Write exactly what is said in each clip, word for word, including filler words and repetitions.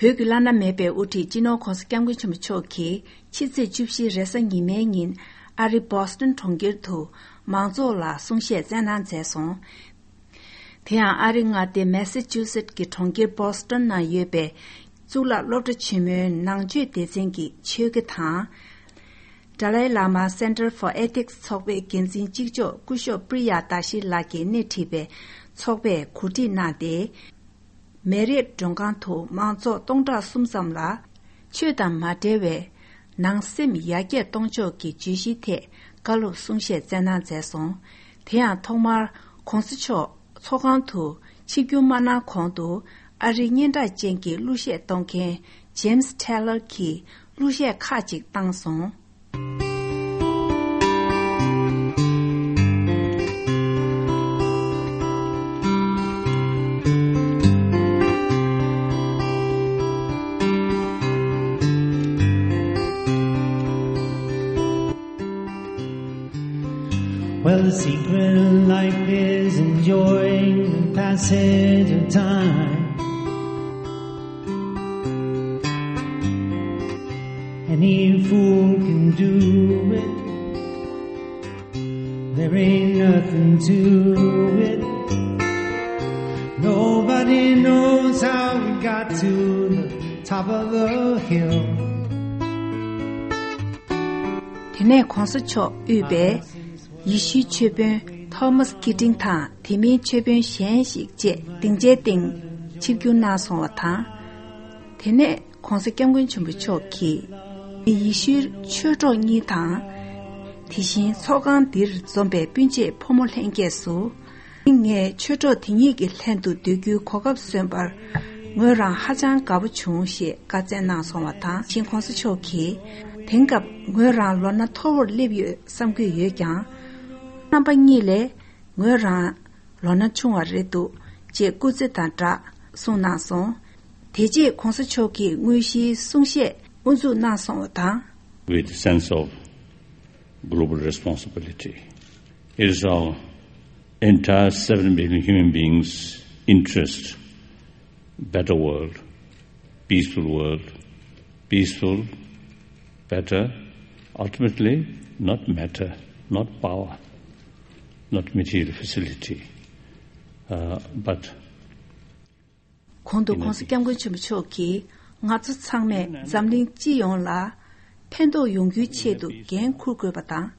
བོད་ཀྱི་བླ་ན་མེད་པའི་དབུ་ཁྲིད་སྤྱི་ནོར་༧གོང་ས་༧སྐྱབས་མགོན་ཆེན་པོ་མཆོག་གིས་ཕྱི་ཚེས་བཅུ་བཞི་རེས་གཟའ་ཉི་མའི་ཉིན་ཨ་རི་བྷོ་སི་ཊོན་གྲོང་ཁྱེར་དུ་མང་ཚོགས་ལ་གསུང་བཤད་སྩལ་གནང་མཛད་སོང་། དེ་ཡང་ཨ་རི་མངའ་སྡེ་མེ་ས་ཅུ་སེ་ཊི་གི་གྲོང་ཁྱེར་བྷོ་སི་ཊོན་ནང་ཡོད་པའི་གཙུག་ལག་སློབ་གྲྭ་ཆེན་མོའི་ནང་ཆོས་སྡེ་ཚན་གྱི་ཆོས་དགེ་དང་། Dalai Lama Center for Ethics ཚོགས་པའི་འགན་འཛིན་གཅིག་ལྕོགས་སྐུ་ཞབས་པྲི་ཡ་དཱ་ཤི་ལགས་ཀྱིས་སྣེ་ཁྲིད་པའི་ཚོགས་པས་གོ་སྒྲིག་གནང་སྟེ། མེ་རིད་མགྲོན་ཁང་དུ་མང་ཚོགས་སྟོང་ཕྲག་གསུམ་ཙམ་ལ། ཆོས་དང་མ་འབྲེལ་བའི་ནང་སེམས་ཡར་རྒྱས་གཏོང་ཕྱོགས་ཀྱི་བརྗོད་གཞིའི་ཐད་བཀའ་སློབ་གསུང་བཤད་སྩལ་གནང་མཛད་སོང་། དེ་ཡང་ཐོག་མར་༧གོང་ས་མཆོག་ཚོགས་ཁང་དུ་ཆིབས་བསྒྱུར་མ་གནང་གོང་དུ་ཨ་རིའི་སྙན་གྲགས་ཅན་གྱི་གླུ་གཞས་གཏོང་མཁན་James Taylor གྱིས་གླུ་གཞས་ཁག་ཅིག་བཏང་སོང་། Well, the secret in life is enjoying the passage of time. Any fool can do it. There ain't nothing to it. Nobody knows how we got to the top of the hill. དེ་ནས་༧གོང་ས་མཆོག་དབུས་པའི་ཡེ་ཤུའི་ཆོས་དཔོན་Thomas Keating དང་དེ་མིན་ཆོས་དཔོན་གཞན་ཞིག་བཅས་སྡིངས་ཆའི་སྟེང་ཆིབས་བསྒྱུར་གནང་སོང་བ་དང་། དེ་ནས་༧གོང་ས་༧སྐྱབས་མགོན་ཆེན་པོ་མཆོག་གིས་ཡེ་ཤུའི་ཆོས་གྲོགས་གཉིས་དང་། དེ་བཞིན་ཚོགས་ཁང་འདིར་འཛོམས་པའི་སྤུན་མཆེད་ཕོ་མོ་ལྷན་རྒྱས་སུ། ངས་ཆོས་གྲོགས་དེ་གཉིས་ཀྱི་ལྷན་དུ་སྡོད་རྒྱུའི་གོ་སྐབས་སོན་པར་ངོས་རང་ཧ་ཅང་དགའ་པོ་བྱུང་ཞེས་བཀའ་སྩལ་གནང་སོང་བ་དང་། ཆེན་༧གོང་ས་མཆོག་གིས་དེང་སྐབས་ངོས་རང་ལོ་ན་མཐོ་བོར་སླེབས་ཡོད་བསམ་གྱི་ཡོད་ཀྱང་། རྣམ་པ་གཉིས་ལས་ངོས་རང་ལོ་ན་ཆུང་བ་རེད་འདུག་ཅེས་སྐུ་ཚེ་དང་སྦྲགས་གསུངས་གནང་སོང་། དེ་རྗེས་༧གོང་ས་མཆོག་གིས་དངོས་གཞིའི་གསུང་བཤད་དབུ་འཛུགས་གནང་སོང་བ་དང་། With the sense of global responsibility. It is our entire seven billion human beings' interest, better world, peaceful world, peaceful, better, ultimately, not matter, not power, not material facility, uh, but གོང་དུ་༧གོང་ས་༧སྐྱབས་མགོན་ཆེན་པོ་མཆོག་གིས་ང་ཚོ་ཚང་མས་འཛམ་གླིང་སྤྱི་ཡོངས་ལ་ཕན་ཐོགས་ཡོང་རྒྱུའི་ཆེད་དུ་འགན་འཁུར་དགོས་པ་དང་།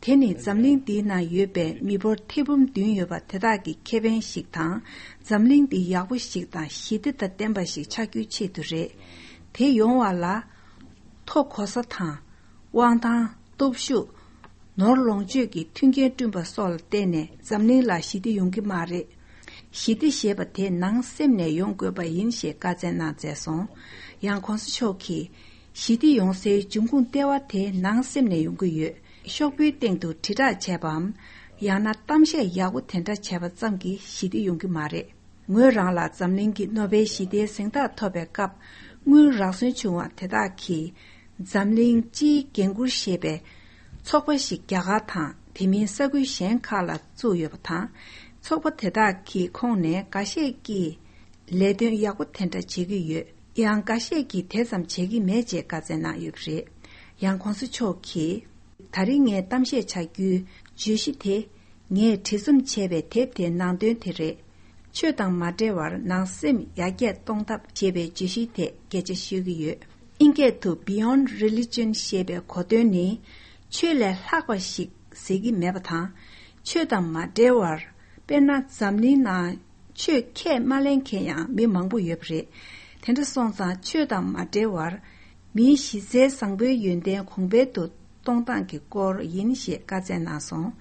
དེ་ནི་འཛམ་གླིང་འདིའི་ནང་ཡོད་པའི་མི་འབོར་ཐེར་འབུམ་བདུན་ཡོད་པ་དེ་དག་གི་ཁེ་ཕན་ཞིག་དང་། འཛམ་གླིང་འདི་ཡག་པོ་ཞིག་དང་ཞི་བདེ་དང་ལྡན་པ་ཞིག་ཆགས་རྒྱུའི་ཆེད་དུ་རེད། དེ་ཡོང་བ་ལ་ཐོ་གོ་ས་དང་། དབང་ཐང་། སྟོབས་ཤུགས། ནོར་ལོངས་སྤྱོད་ཀྱི་མཐུན་རྐྱེན་བསྐྲུན་པ་སོགས་ལ་བརྟེན་ནས་འཛམ་གླིང་ལ་ཞི་བདེ་ཡོང་གི་མ་རེད། ཞི་བདེ་ཞེས་པ་དེ་ནང་སེམས་ནས་ཡོང་དགོས་པ་ཡིན་ཞེས་བཀའ་སྩལ་གནང་མཛད་སོང་། ཡང་༧གོང་ས་མཆོག་གིས། ཞི་བདེ་ཡོང་སའི་འབྱུང་ཁུངས་ལྟེ་བ་དེ་ནང་སེམས་ནས་ཡོང་གི་ཡོད། ཤོག་བུའི་སྟེང་དུ་དྲིལ་བསྒྲགས་བྱས་པའམ། ཡང་ན་གཏམ་བཤད་ཡག་པོ་དེ་འདྲ་བྱས་པ་ཙམ་གྱིས་ཞི་བདེ་ཡོང་གི་མ་རེད། ངོས་རང་ལ་འཛམ་གླིང་གི་ནོ་བེལ་ཞི་བདེའི་གཟེངས་རྟགས་ཐོབ་པའི་སྐབས་དངུལ་རག་སོན་བྱུང་བ་དེ་དག་གིས། འཛམ་གླིང་སྤྱིའི་འགན་འཁུར་ཞེས་པའི་ཚོགས་པ་ཞིག་རྒྱ་གར་དང་དེ་མིན་ས་ཁུལ་གཞན་ཁག་ལ་བཙུགས་ཡོད་པ་དང་། ཚོགས་པ་དེ་དག་གི་ཁོངས་ནས་འགའ་ཤས་ཀྱིས་ལས་དོན་ཡག་པོ་དེ་འདྲ་བྱེད་ཀྱི་ཡོད། ཡང་འགའ་ཤས་ཀྱིས་དེ་ཙམ་བྱེད་ཀྱི་མེད་ཅེས་བཀའ་སྩལ་གནང་ཡོད་པ་རེད། ཡང་༧གོང་ས་མཆོག་གིས། ད་རིང་ངས་གཏམ་བཤད་བྱ་རྒྱུའི་བརྗོད་གཞི་དེ། ངས་བྲིས་རྩོམ་བྱས་པའི་དེབ་དེའི་ནང་དོན་དེ་རེད། ཆོས་དང་མ་འབྲེལ་བར་ནང་སེམས་ཡར་རྒྱས་གཏོང་ཐབས་ཞེས་པའི་བརྗོད་གཞིའི་ཐད་སྐད་ཆ་ཤོད་ཀྱི་ཡོད། དབྱིན་སྐད་དུ་Beyond Religion ཞེས་པའི་གོ་དོན་ནི། ཆོས་ལས་ལྷག་པ་ཞིག་ཟེར་གྱི་མེད་པ་དང་། ཆོས་དང་མ་འབྲེལ་བར། དཔེར་ན་འཛམ་གླིང་ནང་ཆོས་ཁས་མ་ལེན་མཁན་ཡང་མི་མང་པོ་ཡོད་པ་རེད། དེ་འདྲ་སོང་ཙང་ཆོས་དང་མ་འབྲེལ་བར། མིའི་གཞི་རྩའི་བཟང་པོའི་ཡོན་ཏན་གོང་འཕེལ་དུ་གཏོང་སྟངས་ཀྱི་སྐོར་ཡིན་ཞེས་བཀའ་སྩལ་གནང་སོང་།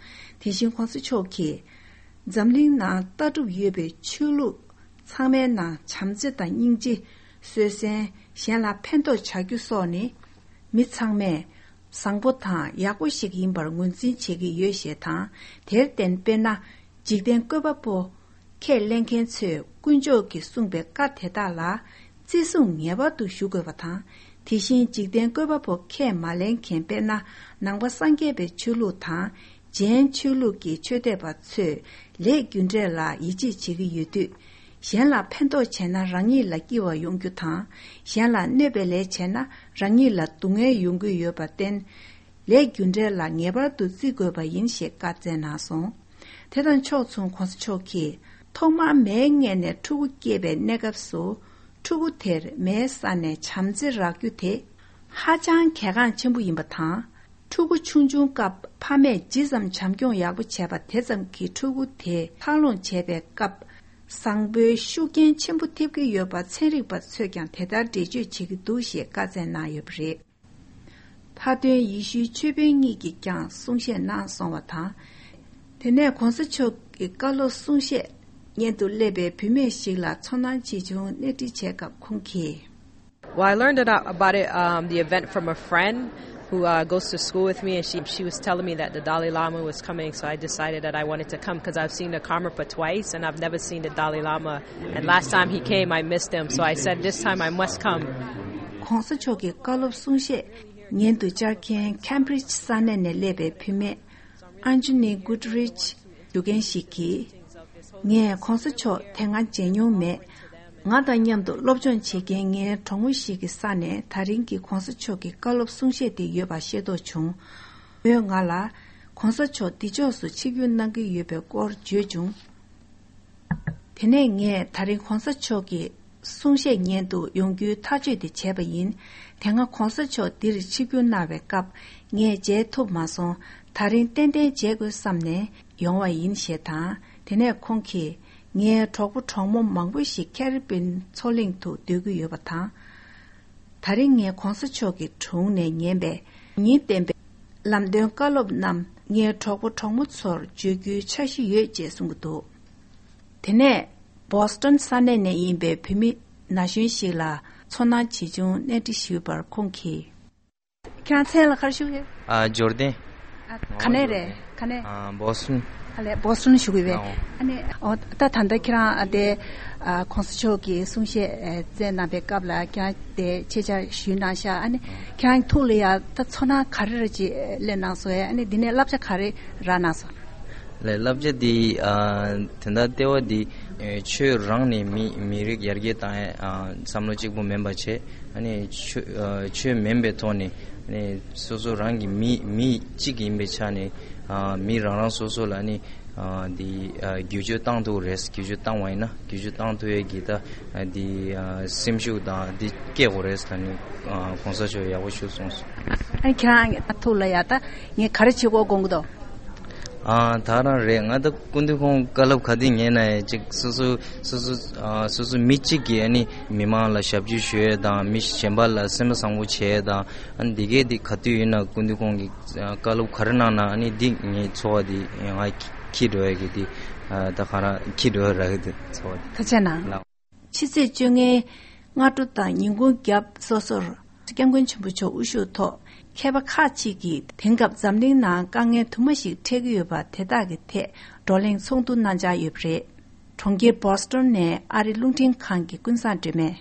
དེ་བཞིན་༧གོང་ས་མཆོག་གིས། འཛམ་གླིང་ནང་ལྟ་གྲུབ་ཡོད་པའི་ཆོས་ལུགས་ཚང་མའི་ནང་བྱམས་བརྩེ་དང་སྙིང་རྗེ། བཟོད་བསྲན། གཞན་ལ་ཕན་ཐོགས་བྱ་རྒྱུ་སོགས་ནི། མི་ཚང་མས་བཟང་པོ་དང་ཡག་པོ་ཞིག་ཡིན་པར་ངོས་འཛིན་བྱེད་ཀྱི་ཡོད་ཞེས་དང་། དེར་བརྟེན་དཔེར་ན། འཇིག་རྟེན་བཀོད་པ་པོ་ཁས་ལེན་མཁན་ཚོས་དཀོན་མཆོག་གིས་གསུངས་པའི་བཀའ་དེ་དག་ལ་བརྩི་སྲུང་ངེས་པར་དུ་ཞུ་དགོས་པ་དང་། དེ་བཞིན་འཇིག་རྟེན་བཀོད་པ་པོ་ཁས་མ་ལེན་མཁན་དཔེར་ན་ནང་པ་སངས་རྒྱས་པའི་ཆོས་ལུགས་དང་། གཞན་ཆོས་ལུགས་ཀྱི་ཆོས་དད་པ་ཚོས་ལས་རྒྱུ་འབྲས་ལ་ཡིད་ཆེས་བྱེད་ཀྱི་ཡོད་དུས། གཞན་ལ་ཕན་ཐོགས་བྱས་ན་རང་ཉིད་ལ་སྐྱིད་པ་ཡོང་རྒྱུ་དང་། གཞན་ལ་གནོད་པའི་ལས་བྱས་ན་རང་ཉིད་ལ་སྡུག་བསྔལ་ཡོང་གི་ཡོད་པར་བརྟེན། ལས་རྒྱུ་འབྲས་ལ་ངེས་པར་དུ་བརྩི་དགོས་པ་ཡིན་ཞེས་བཀའ་སྩལ་གནང་སོང་། དེ་དང་ཕྱོགས་མཚུངས་གོང་ས་མཆོག་གིས། ཐོག་མར་མའི་མངལ་ནས་ཕྲུ་གུ་སྐྱེས་པའི་གནས་སྐབས་སུ། ཕྲུ་གུ་དེར་མའི་ས་ནས་བྱམས་བརྩེ་རག་རྒྱུ་དེ་ཧ་ཅང་གལ་འགངས་ཆེན་པོ་ཡིན་པ་དང་། ཕྲུ་གུ་ཆུང་ཆུང་སྐབས་ཕ་མས་ཇི་ཙམ་བྱམས་སྐྱོང་ཡག་པོ་བྱས་པ་དེ་ཙམ་གྱིས་ཕྲུ་གུ་དེ་འཚར་ལོངས་བྱེད་པའི་སྐབས། བཟང་པོའི་ཤུགས་རྐྱེན་ཆེན་པོ་ཐེབས་ཀྱི་ཡོད་པ་ཚན་རིག་པ་ཚོས་ཀྱང་དེ་ལྟར་འགྲེལ་བརྗོད་བྱེད་ཀྱི་འདུག་ཞེས་བཀའ་སྩལ་གནང་ཡོད་པ་རེད། མཐའ་དོན་ཡེ་ཤུའི་ཆོས་དཔོན་གཉིས་ཀྱིས་ཀྱང་གསུང་བཤད་གནང་སོང་བ་དང་། དེ་ནས་གོང་ས་མཆོག་གི་བཀའ་སློབ་གསུང་བཤད་སྙན་དུ་སླེབས་པའི་བུད་མེད་ཞིག་ལ་ཚོར་སྣང་ཆེ་ཆུང་གནས་འདྲི་བྱས་སྐབས་ཁོང་གིས། Well, I learned about, about it, um, the event from a friend who uh, goes to school with me, and she, she was telling me that the Dalai Lama was coming, so I decided that I wanted to come because I've seen the Karmapa twice, and I've never seen the Dalai Lama. And last time he came, I missed him, so I said this time I must come. གོང་ས་མཆོག་གི་བཀའ་སློབ་གསུང་བཤད་སྙན་དུ་བཅར་མཁན་Cambridge་ས་གནས་ནས་སླེབས་པའི་བུད་མེད་Anjani Goodrich་ཞུ་མཁན་ཞིག་གིས། ངས་གོང་ས་མཆོག་དེ་སྔ་མཇལ་མྱོང་མེད། ང་དང་མཉམ་དུ་སློབ་སྦྱོང་བྱེད་མཁན་ངའི་གྲོགས་མོ་ཞིག་གི་ས་ནས་ད་རིང་གི་གོང་ས་མཆོག་གི་བཀའ་སློབ་གསུང་བཤད་དེ་ཡོད་པ་ཤེས་རྟོགས་བྱུང་། མོས་ང་ལ། གོང་ས་མཆོག་འདི་ཕྱོགས་སུ་ཆིབས་བསྒྱུར་གནང་གི་ཡོད་པའི་སྐོར་བརྗོད་བྱུང་། དེ་ནས་ངས་ད་རིང་གོང་ས་མཆོག་གི་གསུང་བཤད་སྙན་དུ་ཡོང་རྒྱུའི་ཐག་གཅོད་དེ་བྱས་པ་ཡིན། དེ་སྔ་གོང་ས་མཆོག་འདིར་ཆིབས་བསྒྱུར་གནང་བའི་སྐབས་ངས་མཇལ་ཐུབ་མ་སོང་། ད་རིང་ཏན་ཏན་མཇལ་དགོས་བསམ་ནས་ཡོང་བ་ཡིན་ཞེས་དང་། དེ་ནས་ཁོང་གིས། ངའི་གྲོགས་པོ་གྲོགས་མོ་མང་པོ་ཞིག་ཁེ་རི་བིན་མཚོ་གླིང་དུ་སྡོད་ཀྱི་ཡོད་པ་དང་། ད་རིང་ངས་གོང་ས་མཆོག་གི་དྲུང་ནས་ཉན་པའི་ཉིན་བསྟན་པའི་ལམ་སྟོན་བཀའ་སློབ་རྣམས་ངའི་གྲོགས་པོ་གྲོགས་མོ་ཚོར་བརྗོད་རྒྱུའི་འཆར་གཞི་ཡོད་ཅེས་གསུང་གི་འདུག་དེ་ནས་Boston་ས་གནས་ནས་ཡིན་པའི་བུད་མེད་ན་གཞོན་ཞིག་ལ་ཚོར་སྣང་ཇི་བྱུང་གནས་འདྲི་ཞུས་པར་ཁོང་གིས། ཁྱེད་རང་མཚན་ལ་ག་རེ་ཞུ་གི་ཡོད། ཨ། འབྱོར་ལྡན། ཨ། ག་ནས་རེད། ག་ནས། ཨ། Boston། ཨ་ལས་Boston་ཞུ་གི་ཡོད། ཨོ། ཨ་ནི། ཨོ། ད་ད་ལྟ་ཁྱེད་རང་ཨ་དེ། ཨ། གོང་ས་མཆོག་གི་གསུང་བཤད་ཨ་སྩལ་གནང་པའི་སྐབས་ལ་ཁྱེད་རང་དེ་ཆེད་བཅར་ཞུས་གནང་ཤག་ཨ་ནི་ཁྱེད་རང་ཐུགས་ལ་ཡ་ད་ཚོར་སྣང་ག་རེ་རེ་ཅིག་སླེབས་གནང་སོང་ཨ་ནི་འདི་ནས་བསླབ་བྱ་ག་རེ་རག་གནང་སོང་། ལས་བསླབ་བྱ་འདི། ཨ། དོན་དག་ལྟེ་བ་འདི། ཨེ། ཆོས་རང་ནས་མི་མི་རིགས་ཡར་རྒྱས་བཏང་ཡས། ཨ། བསམ་བློ་གཅིག་པུ་མིན་པ་བྱས། ཨ་ནི་ཆོས། ཨ། ཆོས་མིན་པའི་ཐོག་ནས། ཨ་ནི་སོ་སོ་རང་གི་མི་མི་གཅིག་ཡིན་པའི་ཆ་ནས། ཨ། མི་རང་རང་སོ་སོ་ལ་ནི། ཨ། འདི། ཨ། བསྒྱུར་བཅོས་བཏང་ཐུབ་རེད། བསྒྱུར་བཅོས་བཏང་བ་ཡིན་ན་བསྒྱུར་བཅོས་བཏང་ཐུབ་ཡས་ཀྱི་ད། ཨ། འདི། ཨ། སེམས་ཤུགས་དང་འདི་སྐྱེ་དགོས་རེད་ད་ནི། ཨ། གོང་ས་མཆོག་ཡག་པོ་ཞུ་སོང་། ཨ་ནི་ཁྱེད་རང་ཐུགས་ལ་ཡ་ད་ངས་ག་རེ་བྱེད་དགོས་དགོངས་ཀྱི་འདུག་ཨ། ད་རང་རེད། ང་ད་སྐུ་མདུན་ཁོང་བཀའ་སློབ་ག་དུས་ཉན་ན་ཡང་ཅིག་སོ་སོ་སོ་སོ། ཨ། སོ་སོ་མི་གཅིག་གིས་ཨ་ནི་མི་མང་ལ་ཞབས་ཕྱི་ཞུ་ཡས་དང་མི་གཞན་པ་ལ་སེམས་པ་བཟང་པོ་བྱེད་ཡས་དང་། ཨ་ནི་འདི་གས་འདི་ག་དུས་ཡིན་ན་སྐུ་མདུན་ཁོང་གིས་བཀའ་སློབ་ག་རེ་གནང་ན་ཨ་ནི་འདི་ངའི་ཚོར་བ་འདི་ང་འཁྱེར་འགྲོ་ཡས་ཀྱི་འདི། ཨ། ད་ག་རང་འཁྱེར་འགྲོ་ཡས་རག་གི་འདུག་ཚོར་བ་འདི། ཐུགས་རྗེ་གནང་། ལགས། ཕྱི་ཚེས་བཅོ་ལྔའི་སྔ་དྲོ་དང་ཉིན་གུང་རྒྱབ་སོ་སོར་སྐྱབས་མགོན་ཆེན་པོ་མཆོག་དབུ་བཞུགས་ཐོག་མཁས་པ་ཁག་ཅིག་གིས་དེང་སྐབས་འཛམ་གླིང་ནང་དཀའ་ངལ་དུ་མ་ཞིག་འཕྲད་ཀྱི་ཡོད་པ་དེ་དག་གི་ཐད་བགྲོ་གླེང་ཚོགས་འདུ་གནང་འཆར་ཡོད་པ་རེད། གྲོང་ཁྱེར་Boston་ནས་ཨ་རི་རླུང་འཕྲིན་ཁང་གི་ཀུན་བཟང་སྒྲོལ་མས།